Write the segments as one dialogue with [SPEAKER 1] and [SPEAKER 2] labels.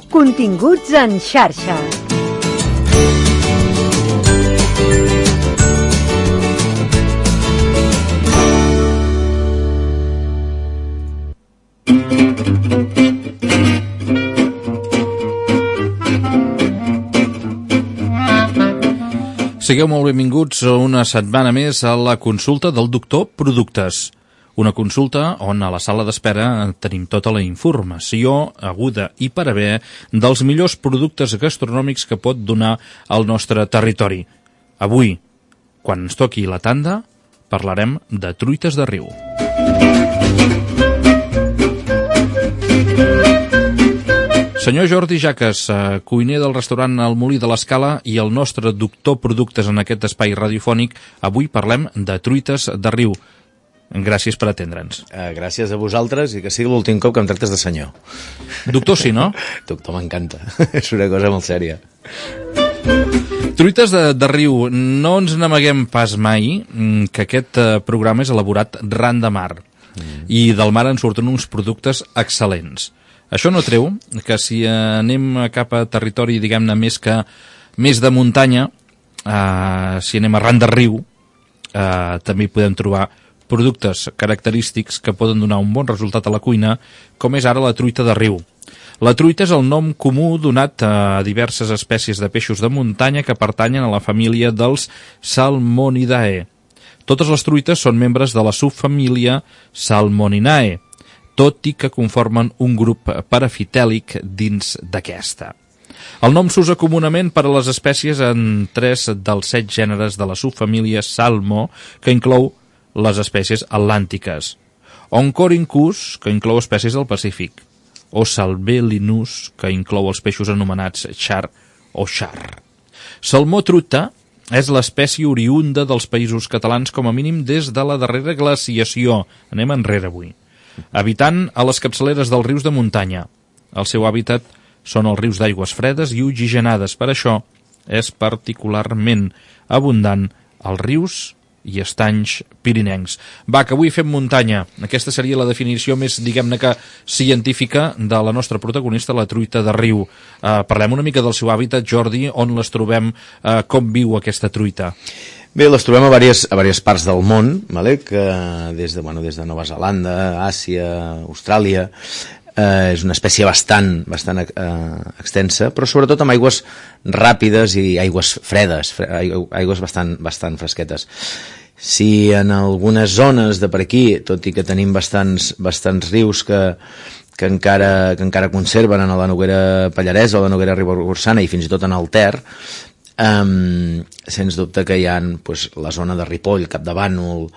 [SPEAKER 1] Continguts en xarxa.
[SPEAKER 2] Sigueu molt benvinguts una setmana més a la consulta del doctor Productes. Una consulta on a la sala d'espera tenim tota la informació aguda i per haver dels millors productes gastronòmics que pot donar el nostre territori. Avui, quan ens toqui la tanda, parlarem de truites de riu. Senyor Jordi Jaques, cuiner del restaurant El Molí de l'Escala i el nostre doctor Productes en aquest espai radiofònic, avui parlem de truites de riu. Gràcies per atendre'ns.
[SPEAKER 3] Gràcies a vosaltres i que sigui l'últim cop que em tractes de senyor.
[SPEAKER 2] Doctor, sí, no?
[SPEAKER 3] Doctor, m'encanta. És una cosa molt sèria.
[SPEAKER 2] Truites de riu, no ens n'amaguem pas mai que aquest programa és elaborat ran de mar i del mar en surten uns productes excel·lents. Això no treu que si anem cap a territori, diguem-ne, més de muntanya, si anem arran de riu, també hi podem trobar productes característics que poden donar un bon resultat a la cuina, com és ara la truita de riu. La truita és el nom comú donat a diverses espècies de peixos de muntanya que pertanyen a la família dels Salmonidae. Totes les truites són membres de la subfamília Salmoninae, tot i que conformen un grup parafitèlic dins d'aquesta. El nom s'usa comunament per a les espècies en 3 dels 7 gèneres de la subfamília Salmo, que inclou les espècies atlàntiques, Oncorhynchus, que inclou espècies del Pacífic, o Salvelinus, que inclou els peixos anomenats char o char. Salmó truita és l'espècie oriunda dels països catalans com a mínim des de la darrera glaciació, anem enrere avui, habitant a les capçaleres dels rius de muntanya. El seu hàbitat són els rius d'aigües fredes i oxigenades, per això és particularment abundant als rius i estanys pirinencs. Va, que avui fem muntanya. Aquesta seria la definició més, diguem-ne que, científica de la nostra protagonista, la truita de riu. Parlem una mica del seu hàbitat, Jordi, on les trobem, com viu aquesta truita.
[SPEAKER 3] Bé, les trobem a diverses parts del món, vale? Que des de Nova Zelanda, Àsia, Austràlia. És una espècie bastant extensa, però sobretot amb aigües ràpides i aigües fredes, aigües bastant fresquetes. Si en algunes zones de per aquí, tot i que tenim bastants rius que encara conserven en la Noguera Pallaresa o la Noguera Ribagorçana i fins i tot en el Ter, sens dubte que hi ha la zona de Ripoll, Capdavànol,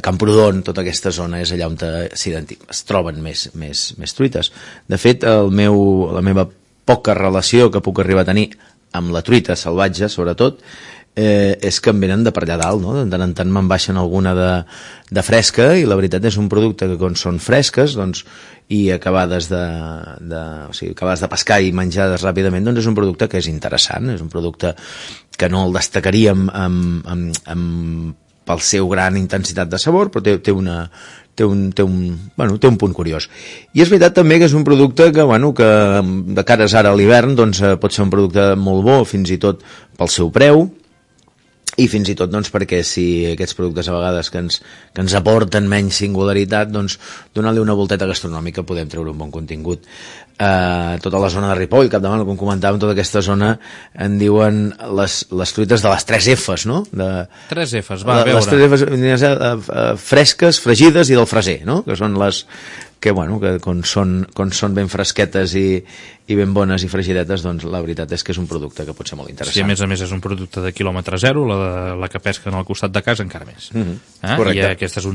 [SPEAKER 3] Camprodon, tota aquesta zona és allà on es troben més truites. De fet, la meva poca relació que puc arribar a tenir amb la truita salvatge, sobretot, és que em venen de per allà dalt, no? De tant en tant me'n baixen alguna de fresca i la veritat és un producte que quan són fresques i acabades de pescar i menjades ràpidament, doncs és un producte que és interessant, és un producte que no el destacaríem pel seu gran intensitat de sabor, però té un punt curiós. I és veritat també que és un producte que de cares ara a l'hivern pot ser un producte molt bo, fins i tot pel seu preu, i fins i tot perquè si aquests productes a vegades que ens aporten menys singularitat, donant-li una volteta gastronòmica podem treure un bon contingut. Tota la zona de Ripoll, Capdavant, com comentàvem, tota aquesta zona en diuen les truites de les 3 Fs, no?
[SPEAKER 2] 3 Fs, va, a veure.
[SPEAKER 3] Les 3 Fs fresques, fregides i del freser, no? Que són les que quan són ben fresquetes i ben bones i fregidetes, doncs la veritat és que és un producte que pot ser molt interessant.
[SPEAKER 2] Sí, a més és un producte de quilòmetre zero, la que pesquen al costat de casa encara més.
[SPEAKER 3] Correcte.
[SPEAKER 2] I aquest és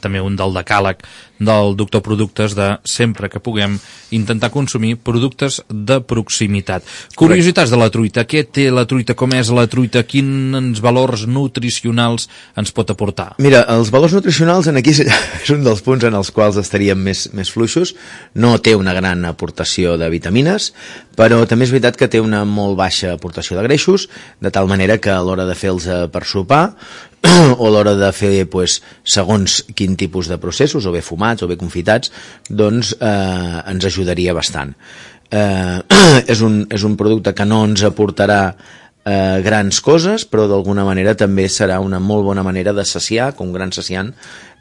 [SPEAKER 2] també un del decàleg del doctor Productes de sempre que puguem intentar consumir productes de proximitat. Curiositats de la truita. Què té la truita? Com és la truita? Quins valors nutricionals ens pot aportar?
[SPEAKER 3] Mira, els valors nutricionals aquí és un dels punts en els quals estaríem més fluixos. No té una gran aportació de vitamines, però també és veritat que té una molt baixa aportació de greixos, de tal manera que a l'hora de fer-los per sopar o a l'hora de fer segons quin tipus de processos, o bé fumats o bé confitats, doncs ens ajudaria bastant. És un producte que no ens aportarà grans coses, però d'alguna manera també serà una molt bona manera de saciar, com un gran saciant,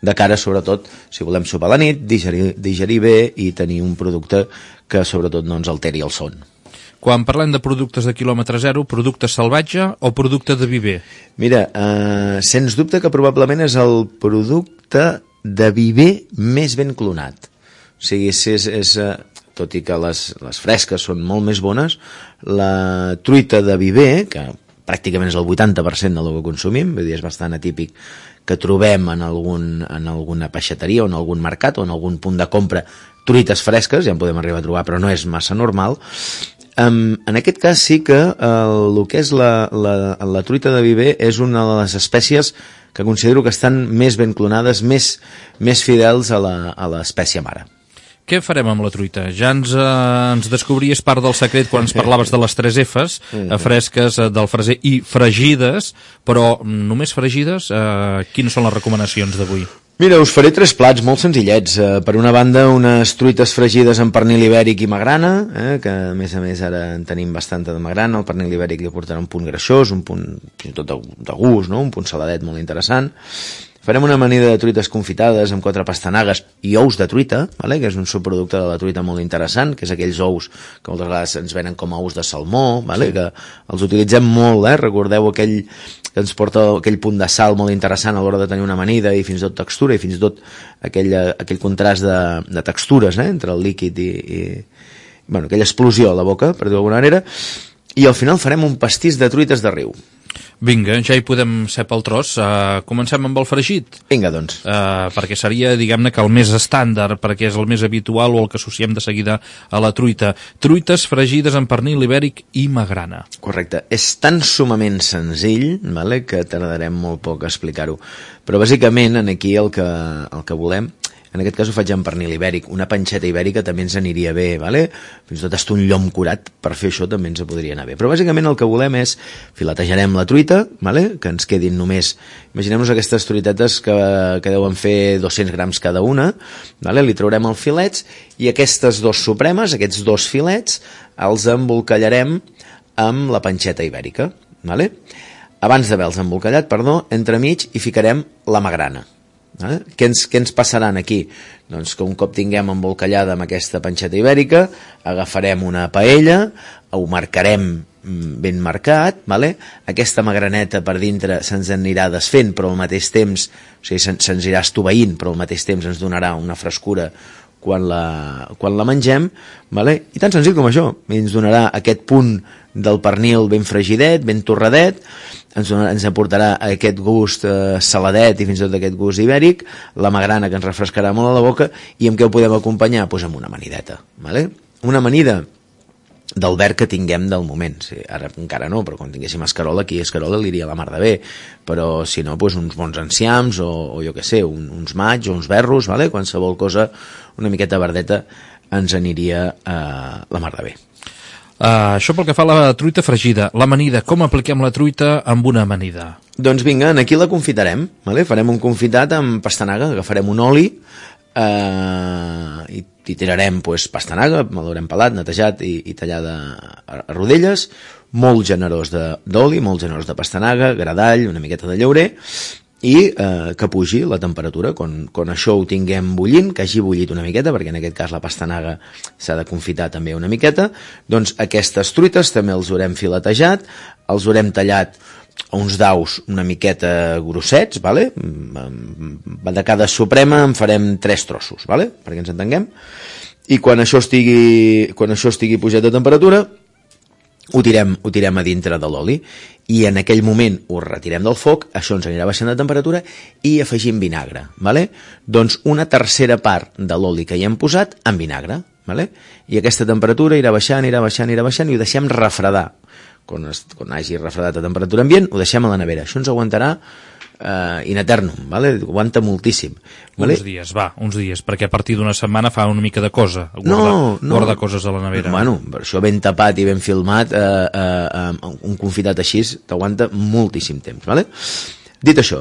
[SPEAKER 3] de cara sobretot si volem sopar a la nit, digerir bé i tenir un producte que sobretot no ens alteri el son.
[SPEAKER 2] Quan parlem de productes de quilòmetre zero, producte salvatge o producte de viver?
[SPEAKER 3] Mira, sens dubte que probablement és el producte de viver més ben clonat. O sigui, tot i que les fresques són molt més bones, la truita de viver, que pràcticament és el 80% del que consumim, vull dir, és bastant atípic que trobem en alguna peixateria o en algun mercat o en algun punt de compra truites fresques, ja en podem arribar a trobar, però no és massa normal. En aquest cas sí que el que és la truita de viver és una de les espècies que considero que estan més ben clonades, més fidels a l'espècie mare.
[SPEAKER 2] Què farem amb la truita? Ja ens descobries part del secret quan ens parlaves de les 3 Fs, fresques, del freser i fregides, però només fregides, quines són les recomanacions d'avui?
[SPEAKER 3] Mira, us faré 3 plats molt senzillets. Per una banda, unes truites fregides amb pernil ibèric i magrana, que a més ara en tenim bastanta de magrana. El pernil ibèric li aportarà un punt greixós, un punt fins i tot de gust, no? Un punt saladet molt interessant. Farem una amanida de truites confitades amb 4 pastanagues i ous de truita, vale? Que és un subproducte de la truita molt interessant, que és aquells ous que moltes vegades ens venen com a ous de salmó, vale? Sí. Que els utilitzem molt, recordeu que ens porta aquell punt de sal molt interessant a l'hora de tenir una amanida i fins i tot textura i fins i tot aquell contrast de textures entre el líquid i bueno, aquella explosió a la boca, per dir-ho d'alguna manera, i al final farem un pastís de truites de riu.
[SPEAKER 2] Vinga, ja hi podem ser pel tros. Comencem amb el fregit.
[SPEAKER 3] Vinga, doncs.
[SPEAKER 2] Perquè seria, diguem-ne, que el més estàndard, perquè és el més habitual o el que associem de seguida a la truita. Truites fregides amb pernil ibèric i magrana.
[SPEAKER 3] Correcte. És tan sumament senzill, vale, que tardarem molt poc a explicar-ho. Però bàsicament aquí el que volem, en aquest cas ho faig amb pernil ibèric, una panxeta ibèrica també ens aniria bé, vale? Fins i tot hasta un llom curat per fer això també ens podria anar bé, però bàsicament el que volem és filetejarem la truita, vale? Que ens quedin només, imaginem-nos aquestes truitetes que deuen fer 200 grams cada una, vale? Li traurem els filets i aquestes 2 supremes, aquests 2 filets els embolcallarem amb la panxeta ibèrica, vale? Abans d'haver-los embolcallat, entremig hi ficarem la magrana. Què ens passaran aquí? Doncs que un cop tinguem embolcallada amb aquesta panxeta ibèrica, agafarem una paella, ho marcarem ben marcat, vale? Aquesta magraneta per dintre se'ns anirà desfent, però al mateix temps, o sigui, se'ns irà estoveint, però al mateix temps ens donarà una frescura quan la mengem, vale? I tan senzill com això, ens donarà aquest punt del pernil ben fregidet, ben torradet, ens aportarà aquest gust saladet i fins i tot aquest gust ibèric, la magrana que ens refrescarà molt a la boca, i amb què ho podem acompanyar? Doncs amb una amanideta, vale? Una amanida del verd que tinguem del moment. Sí, ara encara no, però quan tinguéssim escarola, aquí escarola li iria la mar de bé, però si no, doncs uns bons enciams o jo què sé, uns maigs o uns berros, vale? Qualsevol cosa una miqueta verdeta ens aniria la mar de bé.
[SPEAKER 2] Això pel que fa a la truita fregida. L'amanida, com apliquem la truita amb una amanida?
[SPEAKER 3] Doncs vinga, aquí la confitarem, vale? Farem un confitat amb pastanaga, agafarem un oli i tirarem pastanaga, l'haurem pelat, netejat i tallada a rodelles, molt generós d'oli, molt generós de pastanaga, gra d'all, una miqueta de llaurer, i que pugi la temperatura quan això ho tinguem bullint, que hagi bullit una miqueta, perquè en aquest cas la pastanaga s'ha de confitar també una miqueta. Doncs aquestes truites també els haurem filetejat, els haurem tallat a uns daus una miqueta grossets, vale? De cada suprema en farem 3 trossos, vale? Perquè ens entenguem, i quan això estigui pujat de temperatura ho tirem a dintre de l'oli i en aquell moment ho retirem del foc, això ens anirà baixant de temperatura i afegim vinagre, vale? Doncs una tercera part de l'oli que hi hem posat en vinagre, vale? I aquesta temperatura irà baixant i ho deixem refredar. Quan hagi refredat a temperatura ambient, ho deixem a la nevera. Això ens aguantarà in eternum, vale? Aguanta moltíssim, vale?
[SPEAKER 2] Uns dies, perquè a partir d'una setmana fa una mica de cosa guardar coses a la nevera.
[SPEAKER 3] Bueno, per això ben tapat i ben filmat, un confitat així t'aguanta moltíssim temps, vale? Dit això,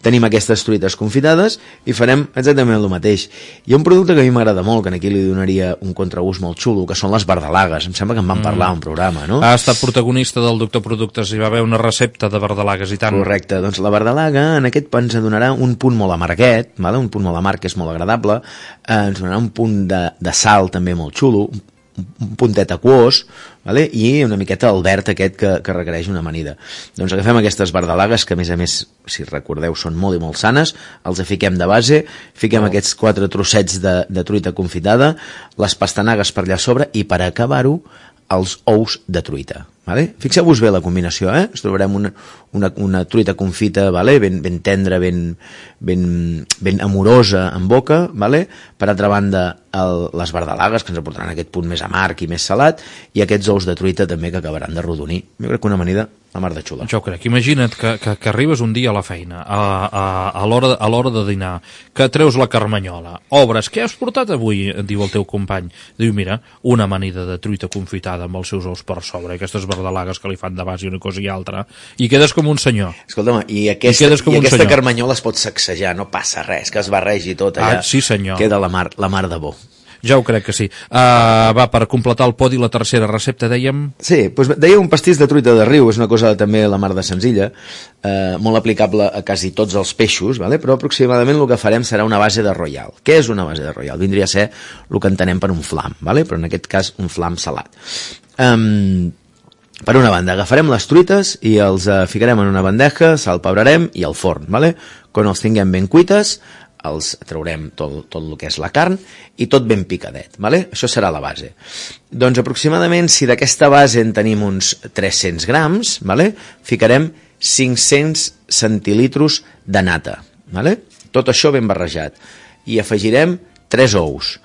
[SPEAKER 3] tenim aquestes truites confitades i farem exactament el mateix. Hi ha un producte que a mi m'agrada molt, que aquí li donaria un contraús molt xulo, que són les verdalagues. Em sembla que en vam parlar a un programa, no?
[SPEAKER 2] Ha estat protagonista del Doctor Productes, hi va haver una recepta de verdalagues i tant.
[SPEAKER 3] Correcte, doncs la verdalaga en aquest ens donarà un punt molt amarguet, vale? Un punt molt amarg que és molt agradable, ens donarà un punt de sal també molt xulo, un puntet aquós, vale? I una miqueta el verd aquest que requereix una amanida. Doncs agafem aquestes verdalagues, que a més, si recordeu, són molt i molt sanes, els fiquem de base, fiquem aquests 4 trossets de truita confitada, les pastanagues per allà sobre i per acabar-ho, els ous de truita. Vale? Fixeu-vos bé la combinació, ens trobarem una truita confita, vale? ben tendra, ben amorosa en boca, vale? Per altra banda les verdalagues, que ens aportaran aquest punt més amarg i més salat, i aquests ous de truita també que acabaran de rodonir. Jo crec que una amanida la mar de xula.
[SPEAKER 2] Jo crec, imagina't que arribes un dia a la feina, a l'hora de dinar, que treus la carmanyola, obres, què has portat avui? Diu el teu company. Diu, mira, una amanida de truita confitada amb els seus ous per sobre, aquestes verdalagues que li fan de base una cosa i altra, i quedes com un senyor.
[SPEAKER 3] Escolta'm, i aquesta carmanyola es pot sacsejar, no passa res, que es barregi tot allà.
[SPEAKER 2] Sí, senyor.
[SPEAKER 3] Queda la mar de bo.
[SPEAKER 2] Ja ho crec que sí. Va, per completar el podi, la tercera recepta, dèiem...
[SPEAKER 3] Sí, doncs deia un pastís de truita de riu, és una cosa també la mar de senzilla, molt aplicable a quasi tots els peixos, vale? Però aproximadament el que farem serà una base de royal. Què és una base de royal? Vindria a ser el que entenem per un flam, vale? Però en aquest cas un flam salat. Per una banda, agafarem les truites i els ficarem en una bandeja, salpebrarem i al forn, vale? Quan els tinguem ben cuites, els traurem tot el que és la carn i tot ben picadet, vale? Això serà la base. Doncs aproximadament, si d'aquesta base en tenim uns 300 grams, vale? Ficarem 500 centilitros de nata, vale? Tot això ben barrejat. I afegirem 3 ous,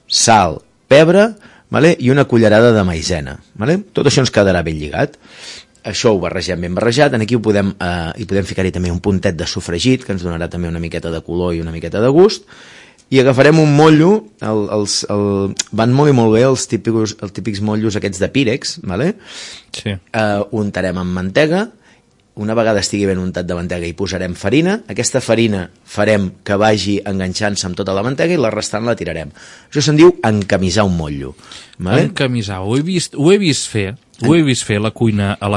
[SPEAKER 3] sal, pebre, vale? I una cullerada de maïzena, vale? Tot això ens quedarà ben lligat. Això ho barregem ben barrejat, aquí hi podem ficar-hi també un puntet de sofregit, que ens donarà també una miqueta de color i una miqueta de gust, i agafarem un motllo, van molt i molt bé els típics motllos aquests de pírex, vale?
[SPEAKER 2] Sí.
[SPEAKER 3] Untarem amb mantega, una vegada estigui ben untat de mantega hi posarem farina, aquesta farina farem que vagi enganxant-se amb tota la mantega i la restant la tirarem. Això se'n diu encamisar un motllo. Vale?
[SPEAKER 2] Encamisar, ho he vist fer a la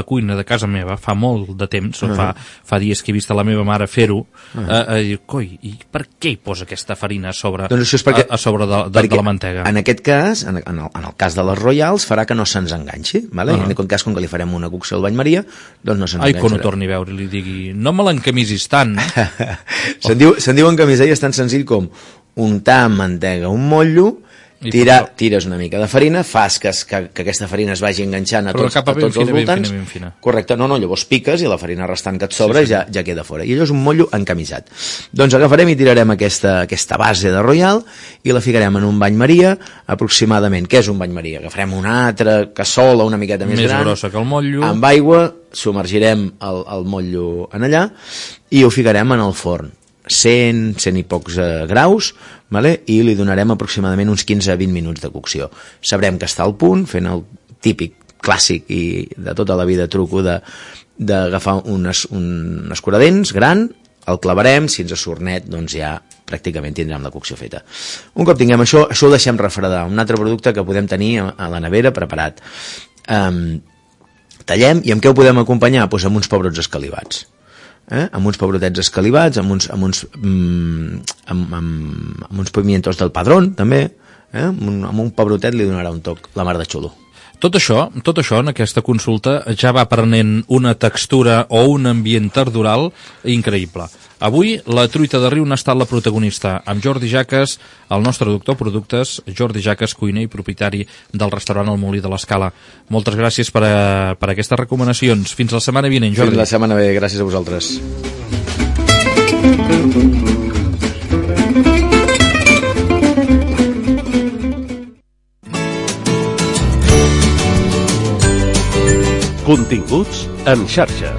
[SPEAKER 2] cuina de casa meva fa molt de temps, fa dies que he vist a la meva mare fer-ho, coi, i per què hi posa aquesta farina a sobre,
[SPEAKER 3] doncs això és perquè,
[SPEAKER 2] a sobre de la mantega?
[SPEAKER 3] En aquest cas, en el cas de les Royals, farà que no se'ns enganxi, vale? En aquest cas, com que li farem una cocció al bany Maria, doncs no se'ns enganxarà.
[SPEAKER 2] Quan ho torni a veure li digui, no me l'encamisis tant.
[SPEAKER 3] Se'n diu encamisar i és tan senzill com untar amb mantega un motllo, tires una mica de farina, fas que aquesta farina es vagi enganxant a tots els voltants.
[SPEAKER 2] Fina.
[SPEAKER 3] Correcte, no, llavors piques i la farina restant que et sobra ja queda fora. I allò és un motllo encamisat. Doncs agafarem i tirarem aquesta base de Royal i la ficarem en un bany Maria aproximadament. Què és un bany Maria? Agafarem una altra cassola una miqueta més gran,
[SPEAKER 2] grossa que el motllo,
[SPEAKER 3] amb aigua, submergirem el motllo en allà i ho ficarem en el forn. 100 i pocs graus, vale? I li donarem aproximadament uns 15-20 minuts de cocció. Sabrem que està al punt, fent el típic clàssic i de tota la vida truco d'agafar un escuradents gran, el clavarem, si ens surt net, doncs ja pràcticament tindrem la cocció feta. Un cop tinguem això ho deixem refredar. Un altre producte que podem tenir a la nevera preparat. Tallem, i amb què ho podem acompanyar? Doncs amb uns pebrots escalivats. Amb uns pebrotets escalivats, amb uns pimientos del padrón, també, amb un pebrotet li donarà un toc la mar de xulo.
[SPEAKER 2] Tot això en aquesta consulta ja va prenent una textura o un ambient tardoral increïble. Avui la truita de riu n'ha estat la protagonista, amb Jordi Jaques, el nostre doctor productes, Jordi Jaques, cuiner i propietari del restaurant El Molí de l'Escala. Moltes gràcies per aquestes recomanacions. Fins la setmana vinent, Jordi.
[SPEAKER 3] Fins la setmana ve, gràcies a vosaltres.
[SPEAKER 4] Continguts en xarxa.